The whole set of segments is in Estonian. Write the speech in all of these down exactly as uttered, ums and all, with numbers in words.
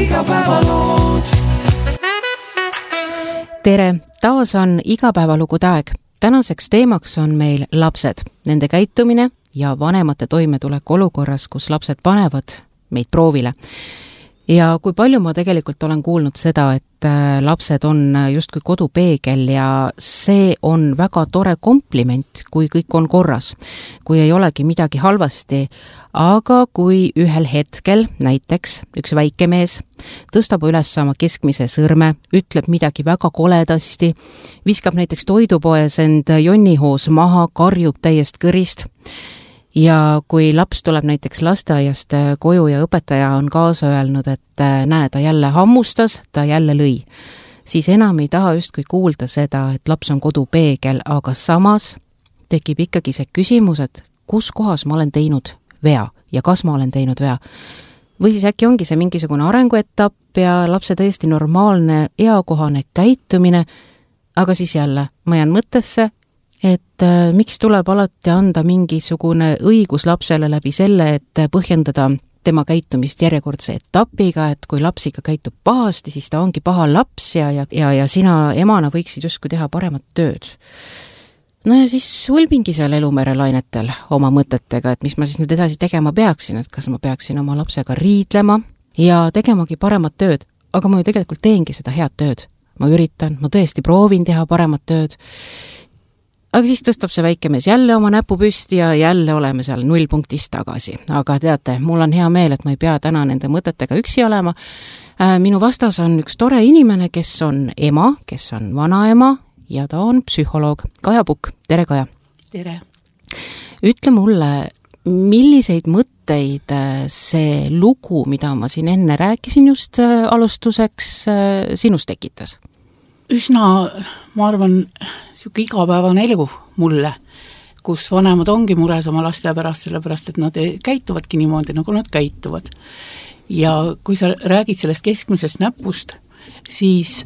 igapäevalood. Tere, taas on igapäevalugude aeg. Tänaseks teemaks on meil lapsed, nende käitumine ja vanemate toimetulek olukorras, kus lapsed panevad meid proovile. Ja kui palju ma tegelikult olen kuulnud seda, et lapsed on justkui kodupeegel ja see on väga tore kompliment, kui kõik on korras, kui ei olegi midagi halvasti, aga kui ühel hetkel näiteks üks väike mees tõstab üles oma keskmise sõrme, ütleb midagi väga koledasti, viskab näiteks toidupoes end jonnihoos maha, karjub täiest kõrist, ja kui laps tuleb näiteks lasteaiast koju ja õpetaja on kaasa öelnud, et näe, ta jälle hammustas, ta jälle lõi, siis enam ei taha justkui kuulda seda, et laps on kodupeegel, aga samas tekib ikkagi see küsimus, et kus kohas ma olen teinud vea ja kas ma olen teinud vea. Või siis äkki ongi see mingisugune arenguetapp ja lapse täiesti normaalne, eakohane käitumine, aga siis jälle ma jään mõttesse, et äh, miks tuleb alati anda mingisugune õigus lapsele läbi selle, et põhjendada tema käitumist järjekordse etapiga, et kui laps ikka käitub pahasti, siis ta ongi paha laps ja, ja, ja, ja sina emana võiksid justkui teha paremat tööd. No ja siis ulbingi seal elumere lainetel oma mõtetega, et mis ma siis nüüd edasi tegema peaksin, et kas ma peaksin oma lapsega riidlema ja tegemagi paremat tööd, aga ma ju tegelikult teengi seda head tööd. Ma üritan, ma tõesti proovin teha paremat tööd. Aga siis tõstab see väike mees jälle oma näpu püsti ja jälle oleme seal nullpunktist tagasi. Aga teate, mul on hea meel, et ma ei pea täna nende mõtetega üksi olema. Minu vastas on üks tore inimene, kes on ema, kes on vanaema ja ta on psühholoog. Kaja Pukk. Tere, Kaja. Tere. Ütle mulle, milliseid mõtteid see lugu, mida ma siin enne rääkisin just alustuseks, sinust tekitas? Üsna, ma arvan, siuke igapäevane elu mulle, kus vanemad ongi mures oma laste pärast, sellepärast, et nad käituvadki niimoodi, nagu nad käituvad. Ja kui sa räägid sellest keskmisest näpust, siis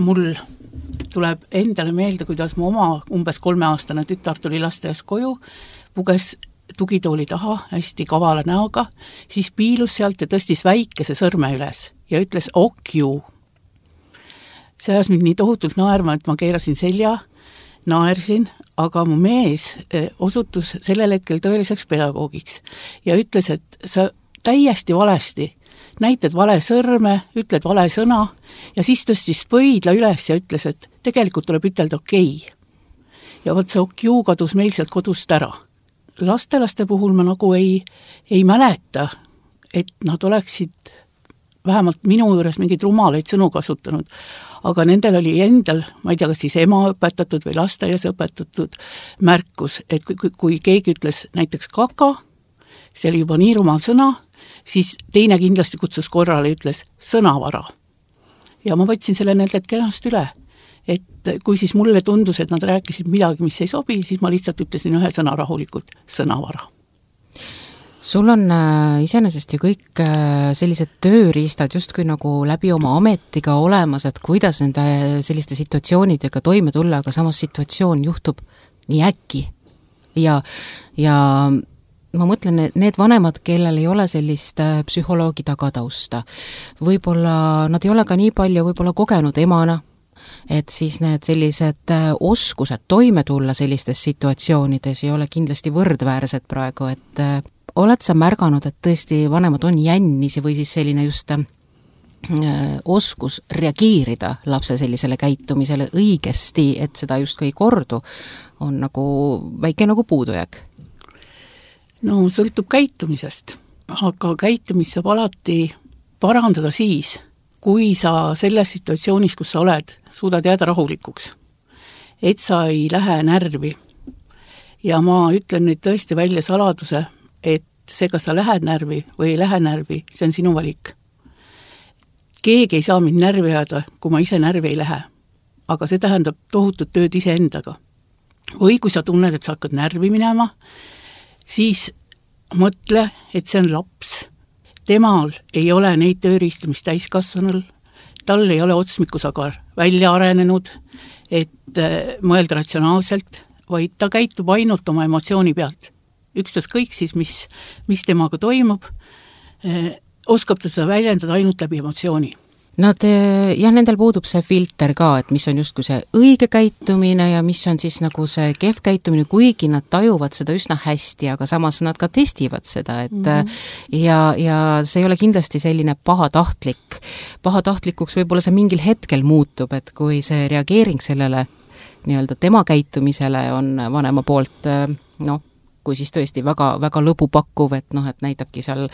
mul tuleb endale meelde, kuidas mu oma umbes kolmeaastane tütar tuli lasteaiast koju, puges tugitooli taha hästi kavala näoga, siis piilus sealt ja tõstis väikese sõrme üles ja ütles okju. See ajas mind nii tohutult naerma, et ma keerasin selja, naersin, aga mu mees osutus sellel hetkel tõeliseks pedagoogiks ja ütles, et sa täiesti valesti näitad vale sõrme, ütled vale sõna ja siis tõstis pöidla üles ja ütles, et tegelikult tuleb ütelda okei. Ja võt see okju kadus meil sealt kodust ära. Lastelaste puhul ma nagu ei, ei mäleta, et nad oleksid vähemalt minu juures mingeid rumalaid sõnu kasutanud, aga nendel oli endal, ma ei tea, kas siis ema õpetatud või lasteaias õpetatud märkus, et kui, kui, kui keegi ütles näiteks kaka, see oli juba nii rumal sõna, siis teine kindlasti kutsus korrale ja ütles sõnavara. Ja ma võtsin selle nendelt kenast üle, et kui siis mulle tundus, et nad rääkisid midagi, mis ei sobi, siis ma lihtsalt ütlesin ühe sõna rahulikult, sõnavara. Sul on äh, iseenesest ju kõik äh, sellised tööriistad justkui nagu läbi oma ametiga olemas, et kuidas nende selliste situatsioonidega toime tulla, aga samas situatsioon juhtub nii äkki. Ja, ja ma mõtlen, need vanemad, kellel ei ole sellist äh, psühholoogi tagatausta, võib-olla nad ei ole ka nii palju võib-olla kogenud emana, et siis need sellised äh, oskused toime tulla sellistes situatsioonides ei ole kindlasti võrdväärsed praegu, et äh, oled sa märganud, et tõesti vanemad on jännisi või siis selline just äh, oskus reageerida lapse sellisele käitumisele õigesti, et seda just ei kordu, on nagu väike nagu puudujääk? No sõltub käitumisest, aga käitumist saab alati parandada siis, kui sa selles situatsioonis, kus sa oled, suudad jääda rahulikuks, et sa ei lähe närvi. Ja ma ütlen nüüd tõesti välja saladuse, et see, kas sa lähed närvi või ei lähe närvi, see on sinu valik. Keegi ei saa mind närvi jääda, kui ma ise närvi ei lähe. Aga see tähendab tohutut tööd ise endaga. Või kui sa tunned, et sa hakkad närvi minema, siis mõtle, et see on laps. Temal ei ole neid tööriistu, mis täiskasvanul. Tal ei ole otsmikusagar välja arenenud, et mõelda ratsionaalselt, vaid ta käitub ainult oma emotsiooni pealt. Ükstas kõik siis, mis, mis temaga toimub, oskab ta seda väljendada ainult läbi emotsiooni. Nad, jah, nendel puudub see filter ka, et mis on justkui see õige käitumine ja mis on siis nagu see kehv käitumine, kuigi nad tajuvad seda üsna hästi, aga samas nad ka testivad seda, et mm-hmm. ja, ja see ei ole kindlasti selline pahatahtlik. Pahatahtlikuks võib-olla see mingil hetkel muutub, et kui see reageering sellele nii-öelda tema käitumisele on vanema poolt, noh, kui siis tõesti väga, väga lõbu pakkuv, et noh, et näitabki seal,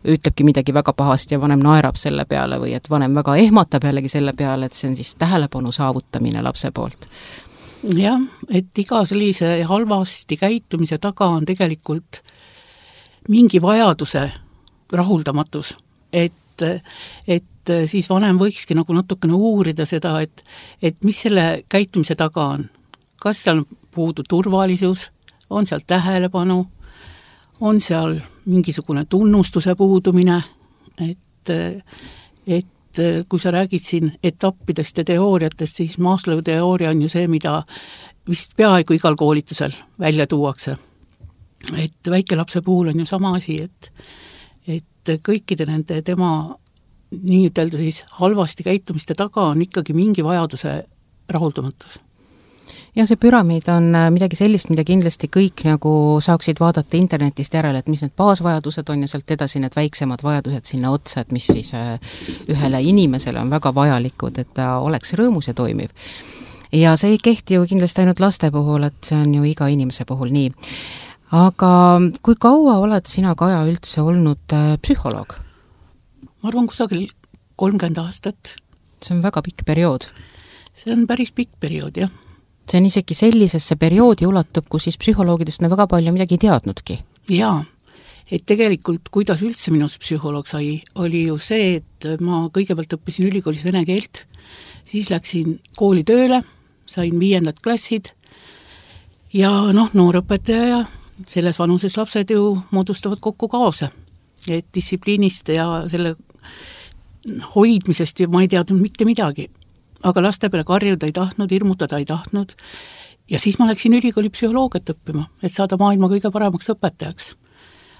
ütlebki midagi väga pahasti ja vanem naerab selle peale või et vanem väga ehmatab jällegi selle peale, et see on siis tähelepanu saavutamine lapse poolt. Jah, et iga sellise halvasti käitumise taga on tegelikult mingi vajaduse rahuldamatus, et, et siis vanem võikski nagu natukene uurida seda, et, et mis selle käitumise taga on. Kas seal puudu turvalisus, on seal tähelepanu, on seal mingisugune tunnustuse puudumine, et, et kui sa räägid siin etappidest ja teooriatest, siis Maslowi teooria on ju see, mida vist peaaegu igal koolitusel välja tuuakse. Et väikelapse puhul on ju sama asi, et, et kõikide nende tema nii ütelda siis halvasti käitumiste taga on ikkagi mingi vajaduse rahuldamatus. Ja see püramiid on midagi sellist, mida kindlasti kõik nagu saaksid vaadata internetist järele, et mis need baasvajadused on ja sealt edasi need väiksemad vajadused sinna otsa, et mis siis ühele inimesele on väga vajalikud, et ta oleks rõõmus ja toimiv. Ja see ei kehti ju kindlasti ainult laste puhul, et see on ju iga inimese puhul nii. Aga kui kaua oled sina, Kaja, üldse olnud psühholoog? Ma arvan kusagil kolmkümmend aastat. See on väga pikk periood. See on päris pikk periood, jah. See on isegi sellisesse perioodi ulatub, kus siis psühholoogidest me väga palju midagi ei teadnudki. Jaa, et tegelikult kuidas üldse minust psühholoog sai, oli ju see, et ma kõigepealt õppisin ülikoolis vene keelt, siis läksin kooli tööle, sain viiendad klassid ja noh, noorõpetaja ja selles vanuses lapsed ju moodustavad kokku kaose. Et distsipliinist ja selle hoidmisest ma ei teadnud mitte midagi. Aga laste peale karjuda ei tahtnud, hirmutada ei tahtnud. Ja siis ma läksin ülikooli psühholoogiat õppima, et saada maailma kõige paremaks õpetajaks.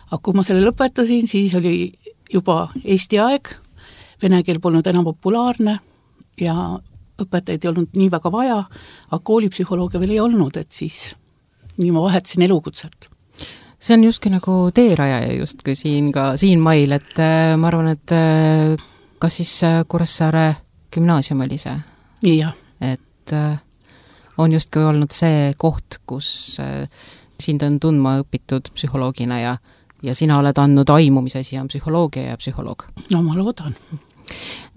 Aga kui ma selle lõpetasin, siis oli juba Eesti aeg, vene keel polnud enam populaarne ja õpetajaid ei olnud nii väga vaja, aga koolipsühholoogia veel ei olnud, et siis nii ma vahetasin elukutset. See on justkui nagu teerajaja justkui siin ka siin mail, et ma arvan, et kas siis Kuressaare gümnaasium oli see? Ja. Et on justkui olnud see koht, kus sind on tundma õpitud psühholoogina ja, ja sina oled andnud aimu, mis asi on psühholoogia ja psühholoog. No ma loodan.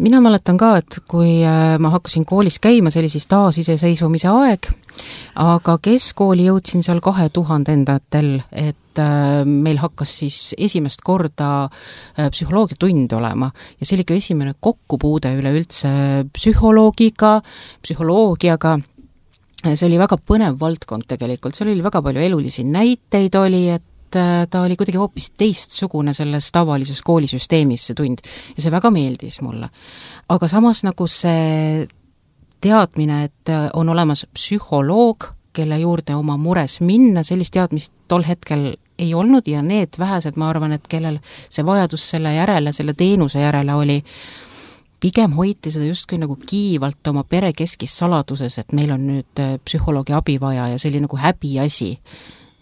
Mina mäletan ka, et kui ma hakkasin koolis käima, see oli siis taasiseseisvumise aeg, aga keskkooli jõudsin seal kahe tuhandendatel, et meil hakkas siis esimest korda psühholoogiatund olema ja see oli ka esimene kokkupuude üleüldse psühholoogiga, psühholoogiaga. See oli väga põnev valdkond tegelikult, seal oli väga palju elulisi näiteid oli, et ta oli kuidagi hoopis teistsugune selles tavalises koolisüsteemis see tund ja see väga meeldis mulle. Aga samas nagu see teadmine, et on olemas psühholoog, kelle juurde oma mures minna, sellist teadmist tol hetkel ei olnud ja need vähesed, ma arvan, et kellel see vajadus selle järele, selle teenuse järele oli, pigem hoiti seda justkui nagu kiivalt oma pere keskis saladuses, et meil on nüüd psühholoogi abi vaja ja see oli nagu häbi asi.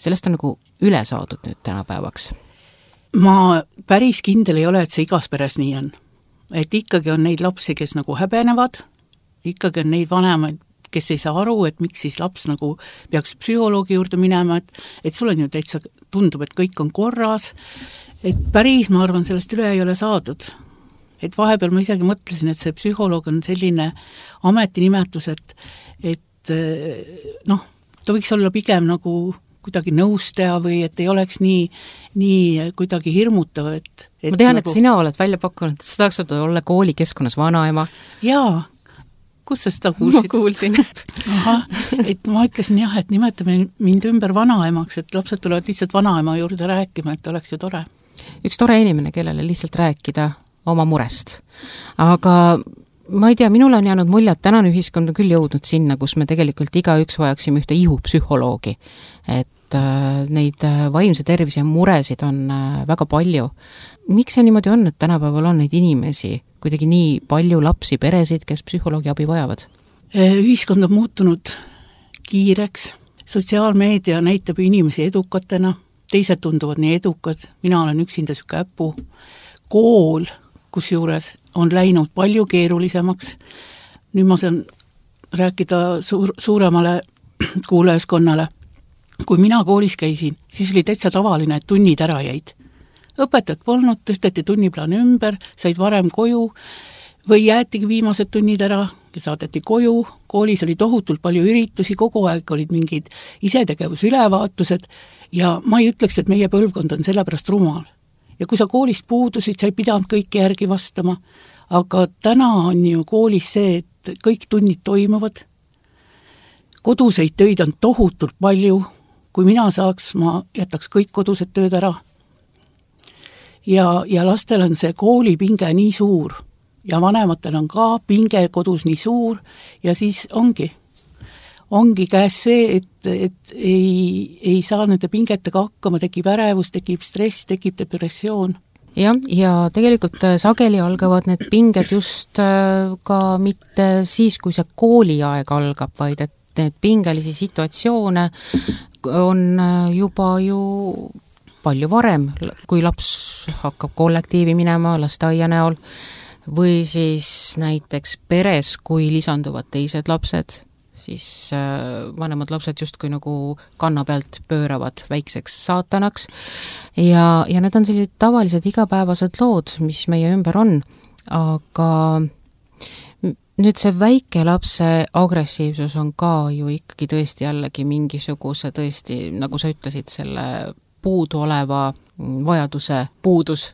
Sellest on nagu üle saadud nüüd tänapäevaks. Ma päris kindel ei ole, et see igas peres nii on. Et ikkagi on neid lapsi, kes nagu häbenevad, ikkagi on neid vanemaid, kes ei saa aru, et miks siis laps nagu peaks psühholoogi juurde minema, et, et sul on ju täitsa tundub, et kõik on korras, et päris, ma arvan, sellest üle ei ole saadud. Et vahepeal ma isegi mõtlesin, et see psühholoog on selline ametinimetus, et, et noh, ta võiks olla pigem nagu kuidagi nõustaja või et ei oleks nii, nii kuidagi hirmutav. Et, et ma tean, nagu... et sina oled välja pakkunud, et sa tahaks olla koolikeskkonnas vanaema. Jaa, kus sa seda kuulsid? Ma kuulsin. Aha, et ma ütlesin jah, et nimetame mind ümber vanaemaks, et lapsed tulevad lihtsalt vanaema juurde rääkima, et oleks ju tore. Üks tore inimene, kellele lihtsalt rääkida oma murest. Aga ma ei tea, minul on jäänud mulje, et tänane ühiskond on küll jõudnud sinna, kus me tegelikult igaüks vajaksime ühte ihupsühholoogi. Et et neid vaimse tervise muresid on väga palju. Miks see niimoodi on, et tänapäeval on neid inimesi, kuidagi nii palju lapsi, peresid, kes psühholoogi abi vajavad? Ühiskond on muutunud kiireks, sotsiaalmeedia näitab inimesi edukatena, teised tunduvad nii edukad, mina olen üksinda süke äppu, kool, kus juures on läinud palju keerulisemaks, nüüd ma saan rääkida suur, suuremale kuulajaskonnale. Kui mina koolis käisin, siis oli täitsa tavaline, et tunnid ära jäid. Õpetajad polnud, tõsteti tunniplaan ümber, said varem koju või jäetigi viimased tunnid ära ja saadeti koju. Koolis oli tohutult palju üritusi, kogu aeg olid mingid isetegevusülevaatused ja ma ei ütleks, et meie põlvkond on sellepärast rumal. Ja kui sa koolist puudusid, sa ei pidanud kõike järgi vastama, aga täna on ju koolis see, et kõik tunnid toimuvad, koduseid töid on tohutult palju, kui mina saaks, ma jätaks kõik kodused tööd ära. Ja, ja lastel on see koolipinge nii suur ja vanematel on ka pinge kodus nii suur ja siis ongi, ongi käes see, et, et ei, ei saa nende pingetega hakkama, tekib ärevus, tekib stress, tekib depressioon. jah, ja tegelikult sageli algavad need pinged just ka mitte siis, kui see kooliaeg algab, vaid et need pingelisi situatsioone on juba ju palju varem, kui laps hakkab kollektiivi minema lasteaia näol või siis näiteks peres, kui lisanduvad teised lapsed, siis vanemad lapsed justkui nagu kanna pealt pööravad väikseks saatanaks ja, ja need on sellised tavalised igapäevased lood, mis meie ümber on, aga nüüd see väike lapse agressiivsus on ka ju ikkagi tõesti jällegi mingisuguse tõesti, nagu sa ütlesid, selle puudu oleva vajaduse puudus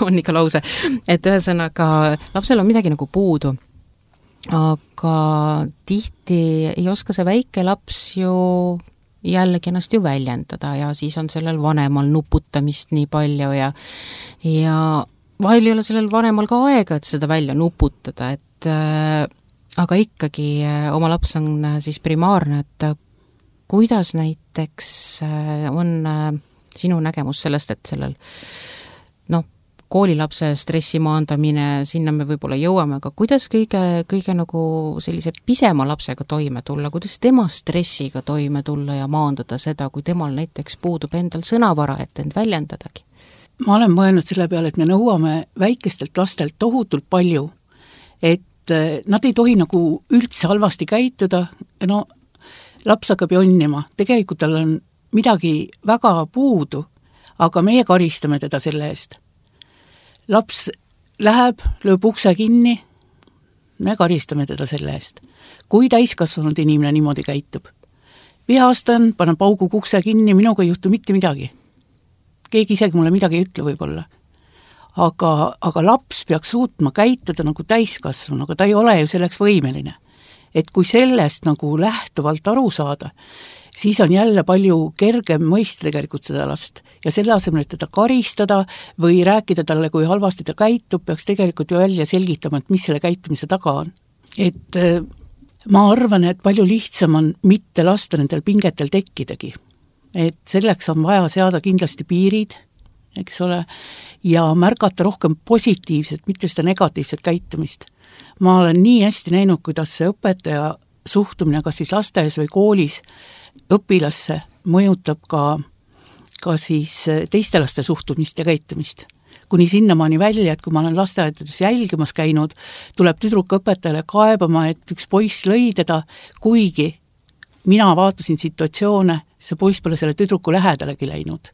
on ikka lause, et ühesõnaga lapsel on midagi nagu puudu. Aga tihti ei oska see väike laps ju jällegi ennast ju väljendada ja siis on sellel vanemal nuputamist nii palju ja, ja vahel ei ole sellel vanemal ka aega, et seda välja nuputada, et äh, aga ikkagi äh, oma laps on äh, siis primaarne, et äh, kuidas näiteks äh, on äh, sinu nägemus sellest, et sellel noh, koolilapse stressi maandamine, sinna me võib-olla jõuame, aga kuidas kõige, kõige nagu sellise pisema lapsega toime tulla, kuidas tema stressiga toime tulla ja maandada seda, kui temal näiteks puudub endal sõnavara, et end väljendadagi? Ma olen mõelnud selle peale, et me nõuame väikestelt lastelt tohutult palju, et nad ei tohi nagu üldse halvasti käituda, no laps hakkab jonnima, tegelikult tal on midagi väga puudu, aga meie karistame teda selle eest. Laps läheb, lööb ukse kinni, me karistame teda selle eest. Kui täiskasvanud inimene niimoodi käitub? Vihastan, panen paugu ukse kinni, minuga ei juhtu mitte midagi. Keegi isegi mulle midagi ei ütle võib-olla. Aga, aga laps peaks suutma käituda nagu täiskasvanu, aga ta ei ole ju selleks võimeline. Et kui sellest nagu lähtuvalt aru saada, siis on jälle palju kergem mõista tegelikult seda last. Ja selle asemel, et teda karistada või rääkida talle, kui halvasti ta käitub, peaks tegelikult ju välja selgitama, et mis selle käitumise taga on. Et ma arvan, et palju lihtsam on mitte lasta nendel pingetel tekkidagi. Et selleks on vaja seada kindlasti piirid, eks ole, ja märgata rohkem positiivset, mitte seda negatiivset käitumist. Ma olen nii hästi näinud, kuidas see õpetaja suhtumine, kas siis lasteaias või koolis õpilasse mõjutab ka, ka siis teiste laste suhtumist ja käitumist. Kuni sinnamaani välja, et kui ma olen lasteaedades jälgimas käinud, tuleb tüdruk õpetajale kaebama, et üks poiss lõi teda, kuigi mina vaatasin situatsioone, see poiss pole selle tüdruku lähedalegi läinud.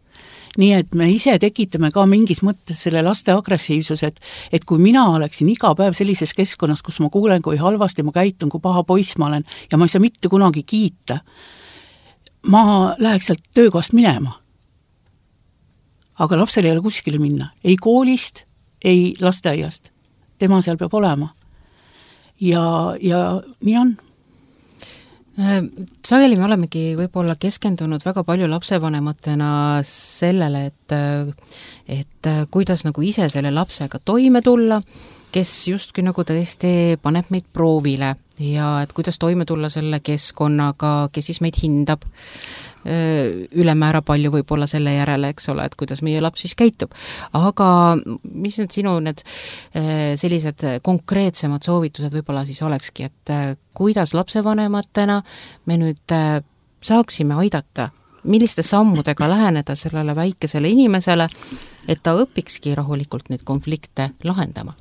Nii et me ise tekitame ka mingis mõttes selle laste agressiivsus, et, et kui mina oleksin iga päev sellises keskkonnas, kus ma kuulen, kui halvasti ma käitun, kui paha poiss ma olen ja ma ei saa mitte kunagi kiita, ma läheks sealt töökohast minema. Aga lapsel ei ole kuskile minna. Ei koolist, ei lasteaiast. Tema seal peab olema. Ja, ja nii on. Sageli me olemegi võib-olla keskendunud väga palju lapsevanematena sellele, et, et kuidas nagu ise selle lapsega toime tulla, kes justkui nagu tõesti paneb meid proovile ja et kuidas toime tulla selle keskkonnaga, kes siis meid hindab. ülemäära palju võib-olla selle järele, eks ole, et kuidas meie laps siis käitub. Aga mis need sinu need sellised konkreetsemad soovitused võib-olla siis olekski, et kuidas lapsevanematena me nüüd saaksime aidata, milliste sammudega läheneda sellele väikesele inimesele, et ta õpikski rahulikult neid konflikte lahendama?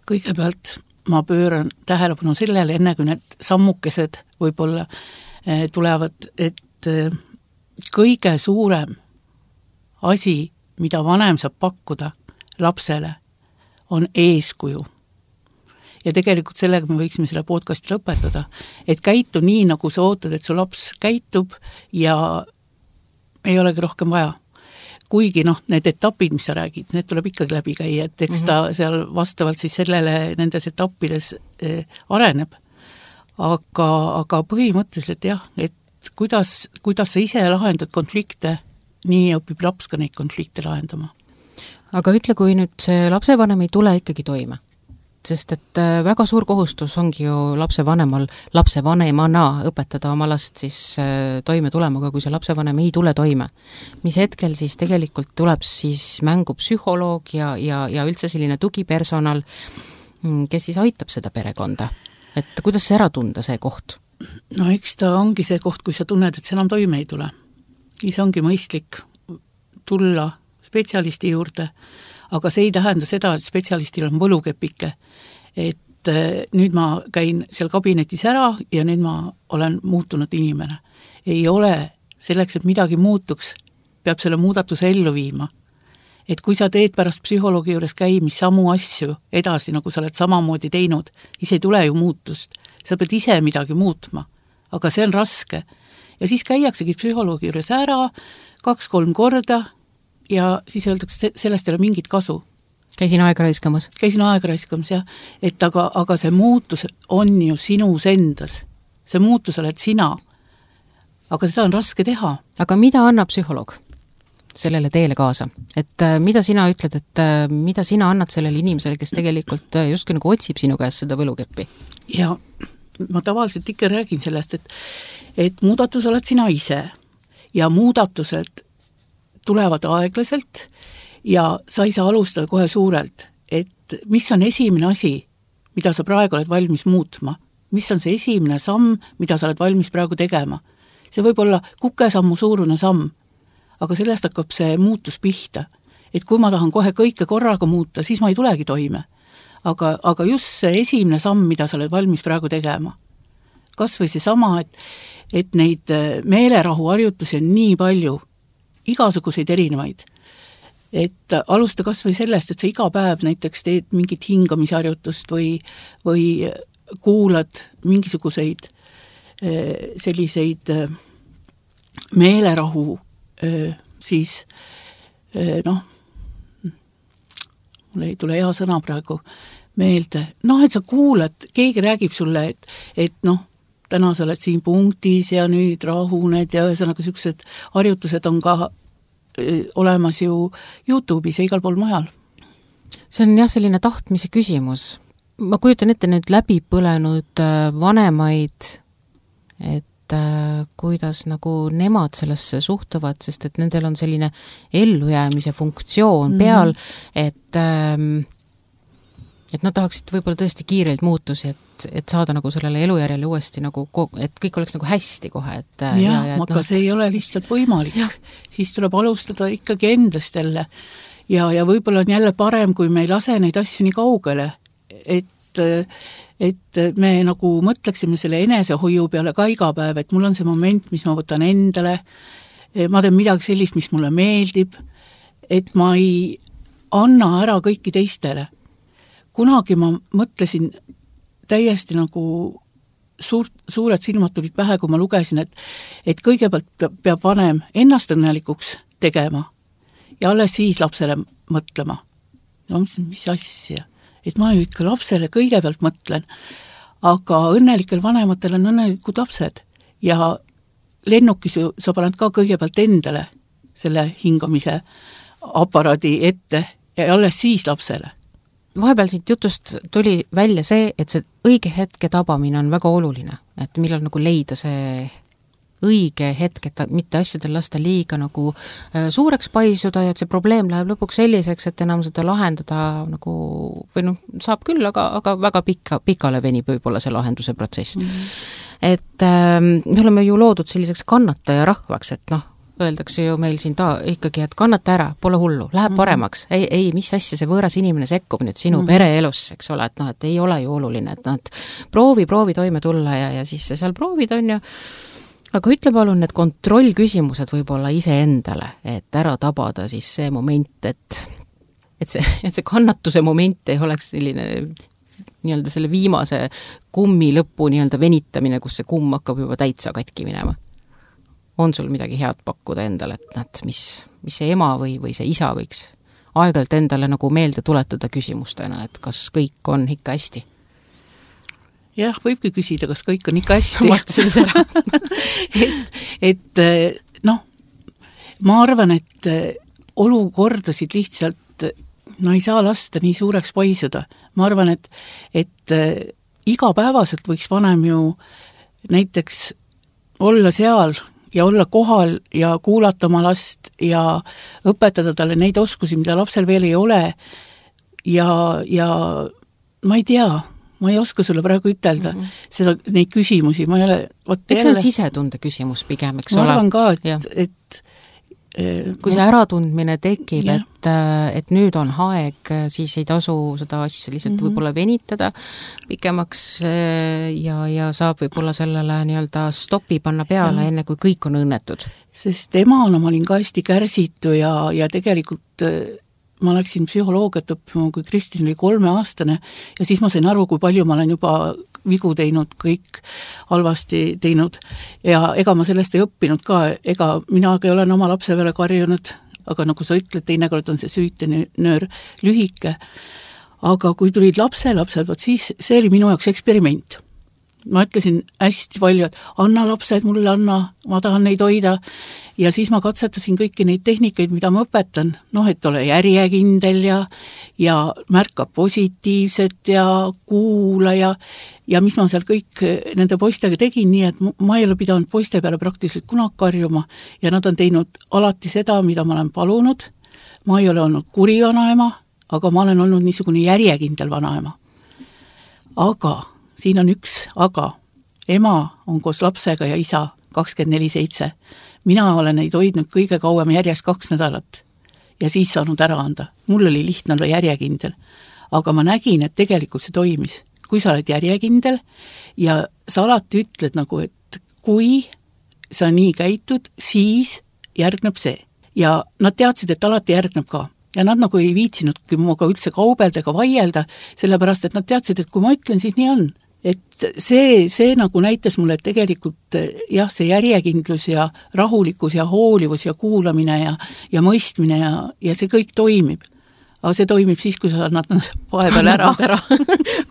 Kõigepealt ma pööran tähelepanu sellele, enne kui need sammukesed võib-olla tulevad, et kõige suurem asi, mida vanem saab pakkuda lapsele, on eeskuju. Ja tegelikult sellega me võiksime selle podcasti lõpetada, et käitu nii, nagu sa ootad, et su laps käitub ja ei olegi rohkem vaja. Kuigi noh, need etapid, mis sa räägid, need tuleb ikkagi läbi käia, et eks ta seal vastavalt siis sellele nendes etappides eh, areneb. Aga, aga põhimõtteliselt jah, et kuidas, kuidas sa ise lahendad konflikte, nii õpib laps ka neid konflikte lahendama. Aga ütle, kui nüüd see lapsevanem ei tule ikkagi toime, sest et väga suur kohustus ongi ju lapsevanemal, lapsevanemana õpetada oma last siis toime tulema, aga kui see lapsevanem ei tule toime, mis hetkel siis tegelikult tuleb siis mängu psühholoog ja, ja, ja üldse selline tugipersonal, kes siis aitab seda perekonda, et kuidas see ära tunda, see koht? No eks ta ongi see koht, kui sa tunned, et see enam toime ei tule. Siis ongi mõistlik tulla spetsialisti juurde, aga see ei tähenda seda, et spetsialistil on võlukepike, et nüüd ma käin seal kabinetis ära ja nüüd ma olen muutunud inimene. Ei ole selleks, et midagi muutuks, peab selle muudatuse ellu viima. Et kui sa teed pärast psühholoogi juures käimis samu asju edasi, nagu sa oled samamoodi teinud, siis ei tule ju muutust. Sa pead ise midagi muutma, aga see on raske. Ja siis käiaksegi psühholoogi juures ära kaks-kolm korda, ja siis öeldakse, sellest ei ole mingit kasu. Käisin aega raiskamas. Käisin aega raiskamas, jah. Et aga, aga see muutus on ju sinus endas. See muutus oled sina. Aga seda on raske teha. Aga mida annab psühholoog sellele teele kaasa? Et mida sina ütled, et mida sina annad sellele inimesele, kes tegelikult justkui nagu otsib sinu käest seda võlukeppi? Ja ma tavaliselt ikka räägin sellest, et, et muudatus oled sina ise ja muudatused tulevad aeglaselt ja sa ei saa alustada kohe suurelt, et mis on esimene asi, mida sa praegu oled valmis muutma, mis on see esimene samm, mida sa oled valmis praegu tegema. See võib olla kukesammu suurune samm, aga sellest hakkab see muutus pihta, et kui ma tahan kohe kõike korraga muuta, siis ma ei tulegi toime. Aga, aga just see esimene samm, mida sa oled valmis praegu tegema. Kas või see sama, et, et neid meelerahu harjutusi on nii palju, igasuguseid erinevaid. Et alusta kas või sellest, et sa iga päev näiteks teed mingit hingamisharjutust või, või kuulad mingisuguseid selliseid meelerahu siis noh, mul ei tule hea sõna praegu meelde, noh, et sa kuulad, keegi räägib sulle, et, et noh, täna sa oled siin punktis ja nüüd rahuned ja ühesõnaga sellised harjutused on ka olemas ju YouTube'is ja igal pool mujal. See on jah selline tahtmise küsimus. Ma kujutan ette nüüd läbi põlenud vanemaid, et kuidas nagu nemad sellesse suhtuvad, sest et nendel on selline ellujäämise funktsioon peal, mm-hmm. et et nad tahaksid võib-olla tõesti kiirelt muutusi, et, et saada nagu sellele elujärjele uuesti nagu, et kõik oleks nagu hästi kohe. Et, ja, ja, ja aga no, see ei ole lihtsalt võimalik. Ja. Siis tuleb alustada ikkagi endast jälle. Ja, ja võib-olla on jälle parem, kui me ei lase neid asju nii kaugele, et, et me nagu mõtleksime selle enesehoiu peale ka iga päev, et mul on see moment, mis ma võtan endale, ma teen midagi sellist, mis mulle meeldib, et ma ei anna ära kõiki teistele. Kunagi ma mõtlesin täiesti nagu suur, suured silmad tulid pähe, kui ma lugesin, et, et kõigepealt peab vanem ennast õnnelikuks tegema ja alles siis lapsele mõtlema. No mis asja? Et ma ju ikka lapsele kõigepealt mõtlen, aga õnnelikel vanematel on õnnelikud lapsed ja lennukis ju sa paned ka kõigepealt endale selle hingamise aparaadi ette ja alles siis lapsele. Vahepeal siit jutust tuli välja see, et see õige hetke tabamine on väga oluline, et millal nagu leida see õige hetk, et mitte asjadel lasta liiga nagu suureks paisuda ja et see probleem läheb lõpuks selliseks, et enam seda lahendada nagu, või noh, saab küll, aga, aga väga pikka, pikale venib võib-olla see lahenduse protsess. Mm-hmm. Et äh, me oleme ju loodud selliseks kannataja rahvaks, et noh, öeldakse ju meil siin ta ikkagi, et kannata ära, pole hullu, läheb paremaks. Ei, ei, mis asja see võõras inimene sekkub nüüd sinu mm-hmm. pereelus, eks ole, et noh, et ei ole ju oluline, et noh, et proovi, proovi toime tulla ja, ja siis sa seal proovid on ju. Aga ütle palun need kontrollküsimused võib-olla iseendale, et ära tabada siis see moment, et, et, see, et see kannatuse moment ei oleks selline nii-öelda selle viimase kummi lõppu nii-öelda venitamine, kus see kumm hakkab juba täitsa katki minema. On sul midagi head pakkuda endale, et nad, mis, mis see ema või, või see isa võiks aeg-ajalt endale nagu meelde tuletada küsimustena, et kas kõik on ikka hästi? Jah, võibki küsida, kas kõik on ikka hästi. Vastasin ise ära. et, et noh, ma arvan, et olukordasid lihtsalt no ei saa lasta nii suureks paisuda. Ma arvan, et, et igapäevaselt võiks vanem ju näiteks olla seal ja olla kohal ja kuulata oma last ja õpetada talle neid oskusi, mida lapsel veel ei ole ja, ja ma ei tea, ma ei oska sulle praegu ütelda mm-hmm. seda, neid küsimusi, ma ei ole võt, eks jälle... see on sisetunde küsimus pigem, eks ma ole? Ma arvan ka, et, et kui see äratundmine tekib, et, et nüüd on aeg, siis ei tasu seda asja lihtsalt mm-hmm. võib-olla venitada pikemaks ja, ja saab võib-olla sellele nii-öelda stopi panna peale, ja. Enne kui kõik on õnnetud. Sest emana ma olin ka hästi kärsitu ja, ja tegelikult ma läksin psühholoogiat õppima, kui Kristin oli kolmeaastane ja siis ma sain aru, kui palju ma olen juba vigu teinud, kõik halvasti teinud ja ega ma sellest ei õppinud ka, ega minagi olen oma lapse peale karjunud, aga nagu sa ütled, teinekord on see süütenöör lühike, aga kui tulid lapse, lapsed, võt siis see oli minu jaoks eksperiment. Ma ütlesin hästi palju, et anna lapsed mulle, anna, ma tahan neid hoida ja siis ma katsetasin kõiki neid tehnikaid, mida ma õpetan, noh, et ole järjekindel ja, ja märka positiivset ja kuula ja, ja mis ma seal kõik nende poistega tegin, nii et ma ei ole pidanud poiste peale praktiliselt kunagi karjuma ja nad on teinud alati seda, mida ma olen palunud, ma ei ole olnud kuri vanaema, aga ma olen olnud niisugune järjekindel vanaema. Aga siin on üks, aga ema on koos lapsega ja isa kakskümmend neli seitse. Mina olen neid hoidnud kõige kauem järjest kaks nädalat ja siis saanud ära anda. Mul oli lihtne olla järjekindel, aga ma nägin, et tegelikult see toimis. Kui sa oled järjekindel ja sa alati ütled nagu, et kui sa nii käitud, siis järgneb see. Ja nad teadsid, et alati järgneb ka. Ja nad nagu ei viitsinudki muga üldse kaubelda ega vaielda, sellepärast, et nad teadsid, et kui ma ütlen, siis nii on. Et see, see nagu näitas mulle, et tegelikult jah, see järjekindlus ja rahulikkus ja hoolivus ja kuulamine ja, ja mõistmine ja, ja see kõik toimib. Aga see toimib siis, kui sa annad vahepeal ära. ära.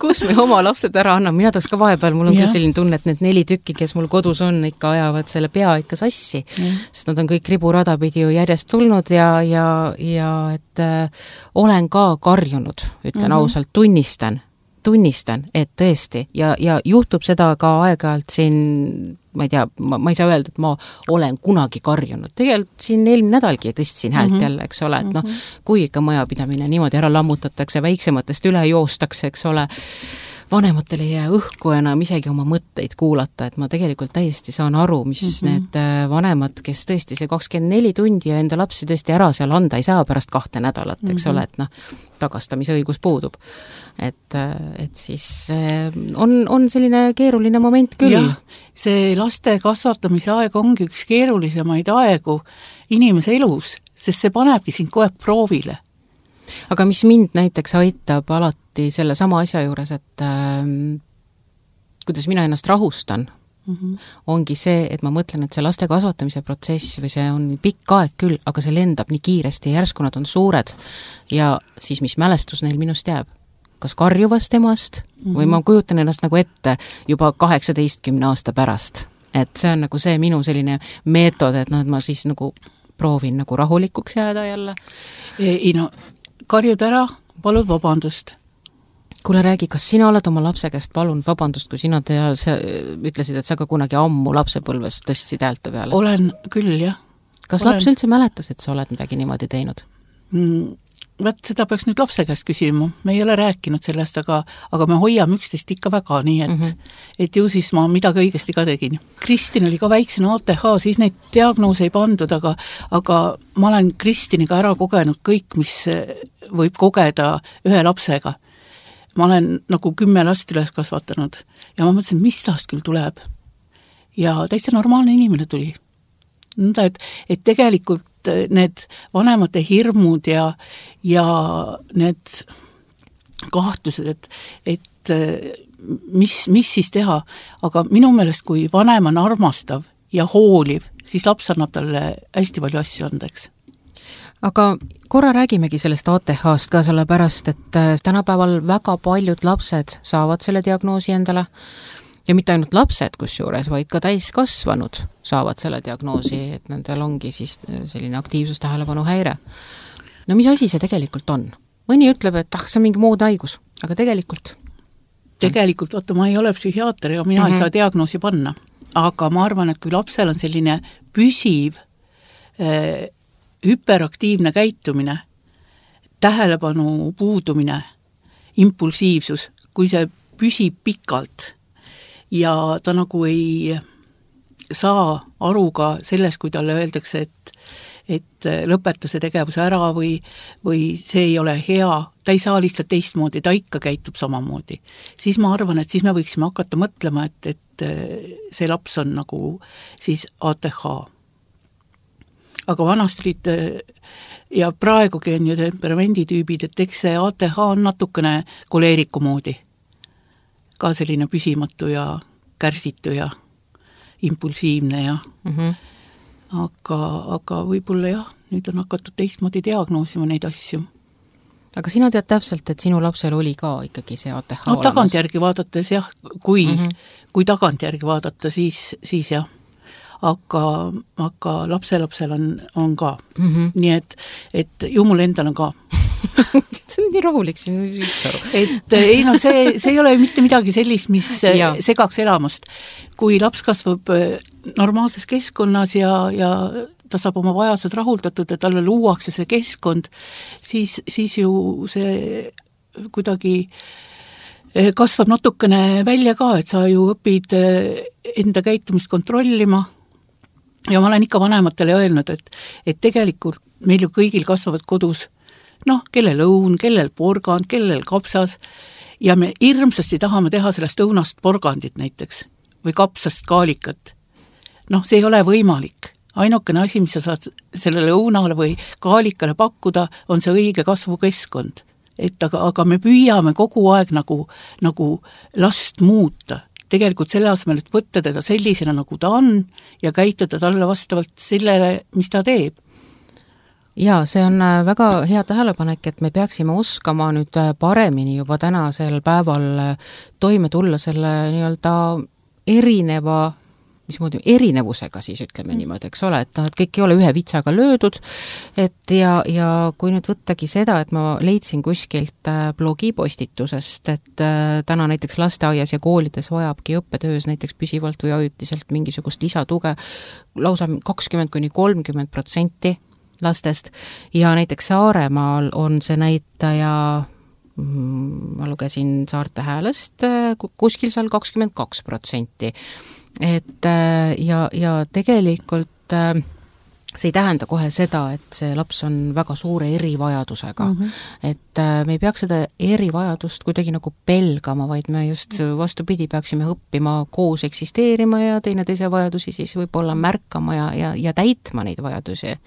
Kus me oma lapsed ära anname? Mina tahaks ka vahepeal, mul on küll selline tunne, et need neli tükki, kes mul kodus on, ikka ajavad selle pea ikka sassi. Ja. Sest nad on kõik riburada pidi ju järjest tulnud ja, ja, ja et äh, olen ka karjunud, ütlen mm-hmm. ausalt, tunnistan. tunnistan, et tõesti ja, ja juhtub seda ka aeg-ajalt siin, ma ei tea, ma, ma ei saa öelda, et ma olen kunagi karjunud. Tegelikult siin eelmine nädalgi tõstsin häält mm-hmm. jälle, eks ole, et noh, kui ikka majapidamine niimoodi ära lammutatakse, väiksematest üle joostakse, eks ole, vanematel ei jää õhku enam isegi oma mõtteid kuulata, et ma tegelikult täiesti saan aru, mis mm-hmm. need vanemad, kes tõesti see kakskümmend neli tundi ja enda lapsi tõesti ära seal anda ei saa pärast kahte nädalat, eks mm-hmm. ole, et noh, tagastamise õigus puudub. Et, et siis on, on selline keeruline moment küll. Jah, see laste kasvatamise aeg ongi üks keerulisemaid aegu inimese elus, sest see panebki sind kohe proovile. Aga mis mind näiteks aitab alati selle sama asja juures, et äh, kuidas mina ennast rahustan, mm-hmm. ongi see, et ma mõtlen, et see laste kasvatamise protsess või see on pikk aeg küll, aga see lendab nii kiiresti ja järsku nad on suured ja siis mis mälestus neil minust jääb? Kas karjuvast emast mm-hmm. või ma kujutan ennast nagu ette juba kaheksateistkümne aasta pärast. Et see on nagu see minu selline meetod, et, no, et ma siis nagu proovin nagu rahulikuks jääda jälle. Ei no, karjud ära, palud vabandust. Kuule, räägi, kas sina oled oma lapse käest, palun vabandust, kui sina te, sa ütlesid, et sa ka kunagi ammu lapsepõlves tõstsid häälte peale? Olen küll, jah. Kas olen. Laps üldse mäletas, et sa oled midagi niimoodi teinud? Mm, võt, seda peaks nüüd lapse käest küsima. Me ei ole rääkinud sellest, aga, aga me hoiame üksteist ikka väga, nii et, mm -hmm. et ju siis ma midagi õigesti ka tegin. Kristin oli ka väiksena A T H, siis neid diagnoose ei pandud, aga, aga ma olen Kristiniga ära kogenud kõik, mis võib kogeda ühe lapsega. Ma olen nagu kümme last üles kasvatanud ja ma mõtlesin, mis tast küll tuleb. Ja täitsa normaalne inimene tuli. Nõnda, et, et tegelikult need vanemate hirmud ja, ja need kahtlused, et, et mis, mis siis teha, aga minu meelest, kui vanem on armastav ja hooliv, siis laps annab talle hästi palju asju andeks. Aga korra räägimegi sellest A T H-st ka sellepärast, et tänapäeval väga paljud lapsed saavad selle diagnoosi endale ja mitte ainult lapsed kusjuures, vaid ka täiskasvanud saavad selle diagnoosi, et nendel ongi siis selline aktiivsustähelepanu häire. No mis asi see tegelikult on? Mõni ütleb, et ah, see on mingi muud haigus, aga tegelikult? Tegelikult, vaata, ma ei ole psühhiaater ja mina mm-hmm. ei saa diagnoosi panna, aga ma arvan, et kui lapsel on selline püsiv äh, hüperaktiivne käitumine, tähelepanu puudumine, impulsiivsus, kui see püsib pikalt ja ta nagu ei saa aru ka sellest, kui talle öeldakse, et, et lõpeta see tegevus ära või, või see ei ole hea, ta ei saa lihtsalt teistmoodi, ta ikka käitub samamoodi. Siis ma arvan, et siis me võiksime hakata mõtlema, et, et see laps on nagu siis A T H. Aga vanasti olid ja praegugi on ju temperamenditüübid, et eks see A T H on natukene koleeriku moodi. Ka selline püsimatu ja kärsitu ja impulsiivne ja mm-hmm. aga, aga võib-olla jah, nüüd on hakatud teistmoodi diagnoosima neid asju. Aga sina tead täpselt, et sinu lapsel oli ka ikkagi see A T H no, olemas? Tagantjärgi vaadates jah, kui, mm-hmm. kui tagantjärgi vaadata, siis, siis jah. Aga, aga lapselapsel on, on ka. Mm-hmm. Nii et, et ju mul endal on ka. see on nii rahulik siin üldse aru. Et ei no see, see ei ole mitte midagi sellist, mis segaks elamast. Kui laps kasvab normaalses keskkonnas ja, ja ta saab oma vajased rahuldatud ja talle luuakse see keskkond, siis, siis ju see kuidagi kasvab natukene välja ka, et sa ju õpid enda käitumist kontrollima. Ja ma olen ikka vanematele öelnud, et, et tegelikult meil ju kõigil kasvavad kodus, noh, kellel õun, kellel porgand, kellel kapsas, ja me hirmsasti tahame teha sellest õunast porgandit näiteks, või kapsast kaalikat. Noh, see ei ole võimalik. Ainukene asi, mis sa saad sellele õunale või kaalikale pakkuda, on see õige kasvukeskkond. Et aga, aga me püüame kogu aeg nagu, nagu last muuta. Tegelikult selle asemel, et võtta teda sellisena, nagu ta on ja käituda talle vastavalt sellele, mis ta teeb. Jaa, see on väga hea tähelepanek, et me peaksime oskama nüüd paremini juba tänasel päeval toime tulla selle nii-öelda erineva mismoodi erinevusega siis ütleme niimoodi, eks ole, et, no, et kõik ei ole ühe vitsaga löödud, et ja, ja kui nüüd võttagi seda, et ma leidsin kuskilt blogipostitusest, et täna näiteks lasteaias ja koolides vajabki õppetöös näiteks püsivalt või ajutiselt mingisugust lisatuge lausa kakskümmend kuni kolmkümmend protsenti lastest ja näiteks Saaremaal on see näitaja ma lugesin Saarte Häälest kuskil seal kakskümmend kaks protsenti. Et ja, ja tegelikult see ei tähenda kohe seda, et see laps on väga suure erivajadusega. Mm-hmm. Et me ei peaks seda erivajadust kuidagi nagu pelgama, vaid me just vastupidi peaksime õppima koos eksisteerima ja teineteise vajadusi siis võib-olla märkama ja, ja, ja täitma neid vajadusi.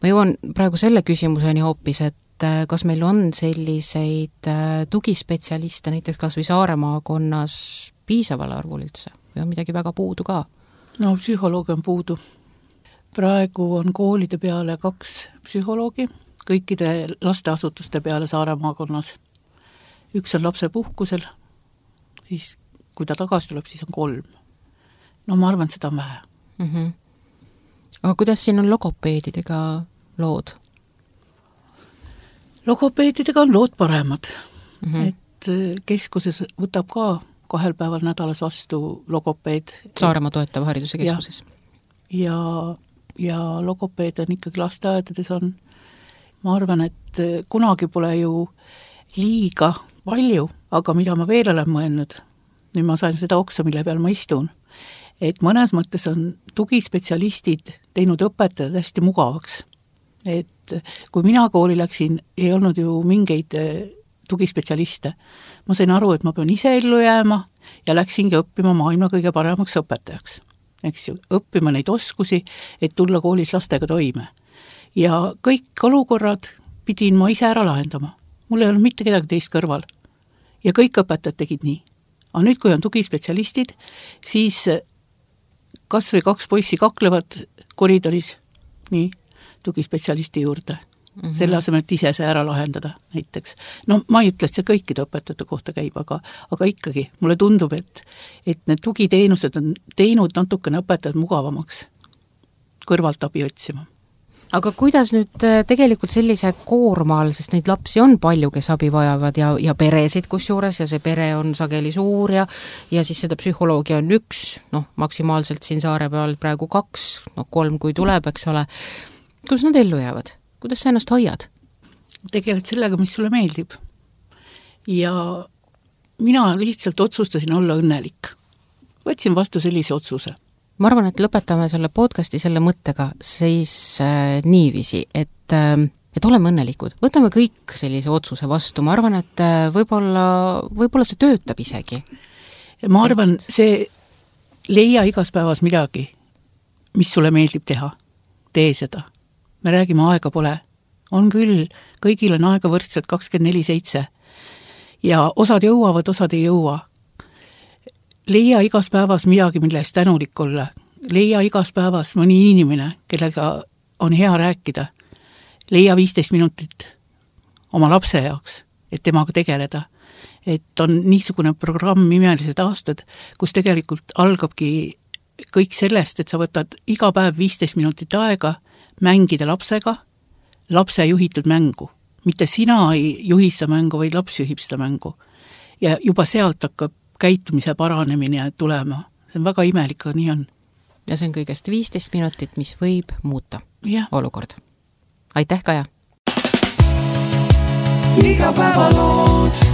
Ma jõuan praegu selle küsimuseni hoopis, et kas meil on selliseid tugispetsialiste näiteks kas või Saare maakonnas piisaval arvul üldse või on midagi väga puudu ka? No psühholoogi on puudu. Praegu on koolide peale kaks psühholoogi, kõikide lasteasutuste peale Saare maakonnas. Üks on lapse puhkusel, siis kui ta tagasi tuleb, siis on kolm. No ma arvan, seda on vähe. Mm-hmm. Aga kuidas siin on logopeedidega lood? Logopeedidega on lood paremad. Mm-hmm. keskuses võtab ka kahel päeval nädalas vastu logopeed. Saaremaa toetava hariduse keskuses. Ja, ja, ja logopeed on ikkagi lasteaedades on, ma arvan, et kunagi pole ju liiga palju, aga mida ma veel olen mõelnud, nüüd ma sain seda oksa, mille peal ma istun, et mõnes mõttes on tugispetsialistid teinud õpetajad hästi mugavaks. Et kui mina kooli läksin, ei olnud ju mingeid tugispetsialiste. Ma sain aru, et ma pean ise ellu jääma ja läksingi õppima maailma kõige paremaks õpetajaks. Eks ju, õppima neid oskusi, et tulla koolis lastega toime. Ja kõik olukorrad pidin ma ise ära lahendama. Mul ei olnud mitte kedagi teist kõrval. Ja kõik õpetajad tegid nii. Aga nüüd, kui on tugispetsialistid, siis kas või kaks poissi kaklevad koridoris nii tugispetsialisti juurde. Mm-hmm. Selle asemel, et ise see ära lahendada näiteks. No ma ei ütle, et see kõikide õpetajate kohta käib, aga, aga ikkagi mulle tundub, et, et need tugiteenused on teinud natukene õpetajad mugavamaks kõrvalt abi otsima. Aga kuidas nüüd tegelikult sellise koorma all, sest neid lapsi on palju, kes abi vajavad ja, ja peresid kusjuures ja see pere on sageli suur ja, ja siis seda psühholoogia on üks, noh, maksimaalselt siin saare peal praegu kaks, noh, kolm kui tuleb, eks ole. Kuidas nad ellu jäävad? Kuidas sa ennast hoiad? Tegeled sellega, mis sulle meeldib. Ja mina lihtsalt otsustasin olla õnnelik. Võtsin vastu sellise otsuse. Ma arvan, et lõpetame selle podcasti selle mõttega siis äh, niiviisi, et, äh, et oleme õnnelikud. Võtame kõik sellise otsuse vastu. Ma arvan, et äh, võib-olla, võib-olla see töötab isegi. Ma arvan, et... see leia igas päevas midagi, mis sulle meeldib teha. Tee seda. Me räägime, aega pole. On küll, kõigil on aega võrdselt kakskümmend neli seitse. Ja osad jõuavad, osad ei jõua. Leia igas päevas midagi, mille eest tänulik olla. Leia igas päevas mõni inimene, kellega on hea rääkida. Leia viisteist minutit oma lapse jaoks, et temaga tegeleda. Et on niisugune programm Imelised aastad, kus tegelikult algabki kõik sellest, et sa võtad iga päev viisteist minutit aega mängida lapsega, lapse juhitud mängu. Mitte sina ei juhi seda mängu, vaid laps juhib seda mängu. Ja juba sealt hakkab käitumise paranemine tulema. See on väga imelik, aga nii on. Ja see on kõigest viisteist minutit, mis võib muuta ja. Olukord. Aitäh, Kaja! Iga päeva lood